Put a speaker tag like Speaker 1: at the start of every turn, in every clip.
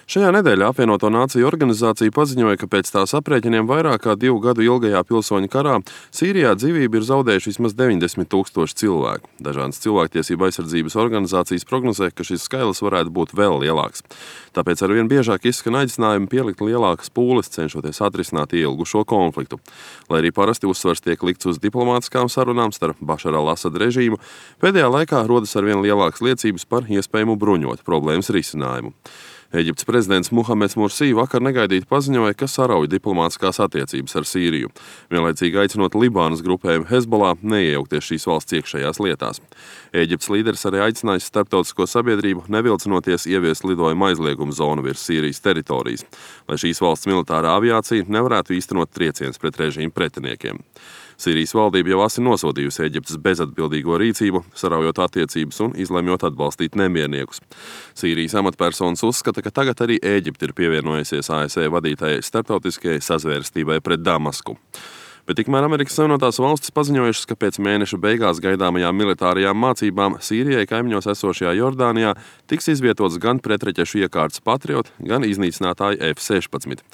Speaker 1: Šajā nedēļā apvienoto nāciju organizācija paziņoja, ka pēc tās aprēķiniem vairāk kā 2 gadu ilgajā pilsoņu karā Sīrijā dzīvību ir zaudējuši vismaz 90 000 cilvēku. Dažādas cilvēktiesību aizsardzības organizācijas prognozē, ka šis skaitlis varētu būt vēl lielāks. Tāpēc arvien biežāk izskan aicinājumi pielikt lielākas pūles, cenšoties atrisināt ilgušo konfliktu. Lai arī parasti uzsvars tiek likts uz diplomātiskām sarunām starp Bašara al-Asada režīmu, pēdējā laikā rodas arvien lielākas liecības par iespējamu bruņotu problēmas risinājumu. Ēģiptes prezidents Muhameds Mursī vakar negaidīti paziņoja, ka sarauj diplomātiskās attiecības ar Sīriju, vienlaicīgi aicinot Libānas grupējumu Hezbollah neiejaukties šīs valsts iekšējās lietās. Ēģiptes līderis arī aicinājis starptautisko sabiedrību nevilcinoties ieviest lidojuma aizlieguma zonu virs Sīrijas teritorijas, lai šīs valsts militārā aviācija nevarētu īstenot triecienus pret režīmu pretiniekiem. Sīrijas valdība jau asi nosodījusi Ēģiptes bezatbildīgo rīcību, saraujot attiecības un izlemjot atbalstīt nemierniekus. Sīrijas amatpersonas uzskata, ka tagad arī Ēģipte ir pievienojusies ASV vadītajai starptautiskajai sazvērestībai pret Damasku. Bet tikmēr Amerikas Savienotās valstis paziņojušas, ka pēc mēneša beigās gaidāmajām militārajām mācībām Sīrijai kaimiņos esošajā Jordānijā tiks izvietots gan pretraķešu iekārtas Patriot, gan iznīcinātāji F-16.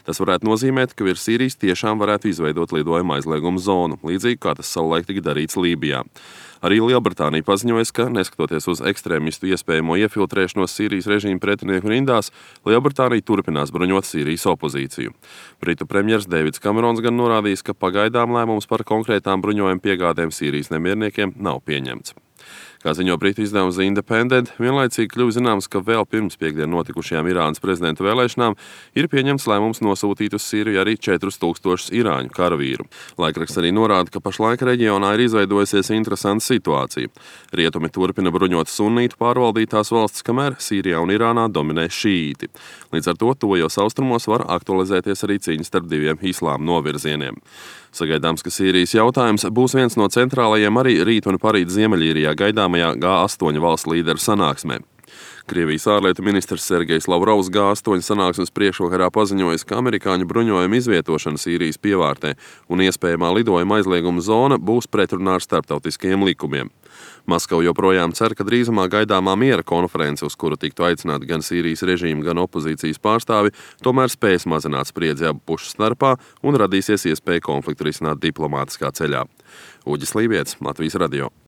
Speaker 1: Tas varētu nozīmēt, ka virs Sīrijas tiešām varētu izveidot lidojuma aizlieguma zonu, līdzīgi kā tas savulaik tika darīts Lībijā. Arī Lielbritānija paziņoja, ka, neskatoties uz ekstrēmistu iespējamo iefiltrēšanos Sīrijas režīma pretinieku rindās, Lielbritānija turpinās bruņot Sīrijas opozīciju. Britu premjers Deivids Kamerons gan norādījis, ka pagaidām lēmums par konkrētām bruņojuma piegādēm Sīrijas nemierniekiem nav pieņemts. Kā ziņo britu izdevums The Independent, vienlaicīgi kļuva zināms, ka vēl pirms piekdien notikušajām Irānas prezidenta vēlēšanām ir pieņemts lēmums nosūtīt uz Sīriju arī 4000 irāņu karavīru. Laikraksts arī norāda, ka pašlaik reģionā ir izveidojusies interesanta situācija. Rietumi turpina bruņot sunītu pārvaldītās valstis, kamēr Sīrijā un Irānā dominē šīīti. Līdz ar to tuvajos austrumos var aktualizēties arī cīņa starp diviem islāma novirzieniem. Sagaidāms, ka Sīrijas jautājums būs viens no centrālajiem arī rīt un parīt Ziemeļīrijā gaidāmajā G8 valstu līderu sanāksmē. Krievijas ārlietu ministrs Sergejs Lavrovs G8 sanāksmes priekšvakarā paziņojis, ka amerikāņu bruņojuma izvietošana Sīrijas pievārtē un iespējamā lidojuma aizlieguma zona būs pretrunā ar starptautiskajiem likumiem. Maskava joprojām cer, ka drīzumā gaidāmā miera konference, uz kuru tiktu aicināti gan Sīrijas režīma, gan opozīcijas pārstāvi, tomēr spēs mazināt spriedzi abu pušu starpā un radīsies iespēja konfliktu risināt diplomātiskā ceļā. Uģis Lībietis, Latvijas radio.